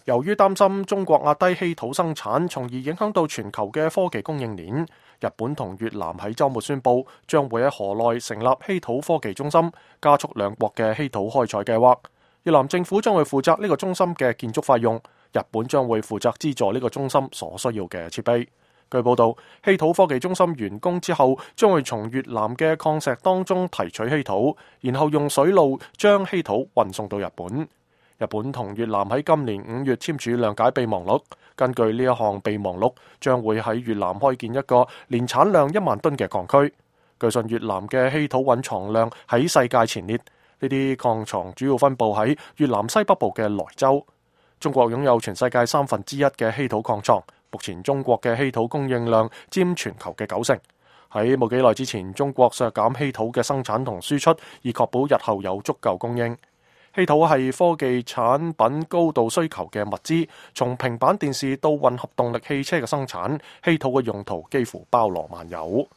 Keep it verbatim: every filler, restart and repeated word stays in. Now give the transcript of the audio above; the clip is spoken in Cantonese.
由於擔心中國壓低稀土生產，從而影響到全球嘅科技供應鏈，日本同越南喺週末宣布將會喺河內成立稀土科技中心，加速兩國嘅稀土開採計劃。越南政府將會負責呢個中心嘅建築費用，日本將會負責資助呢個中心所需要嘅設備。據報道，稀土科技中心完工之後，將會從越南嘅礦石當中提取稀土，然後用水路將稀土運送到日本。日本同越南喺今年五月簽署諒解備忘錄，根據呢一項備忘錄，將會喺越南開建一個年產量一萬噸嘅礦區。據信越南嘅稀土蘊藏量喺世界前列，呢啲礦藏主要分佈喺越南西北部嘅萊州。中國擁有全世界三分之一嘅稀土礦藏，目前中國嘅稀土供應量佔全球嘅九成。喺冇幾耐之前，中國削減稀土嘅生產同輸出，以確保日後有足夠供應。稀土係科技產品高度需求嘅物資，從平板電視到混合動力汽車嘅生產，稀土嘅用途幾乎包羅萬有。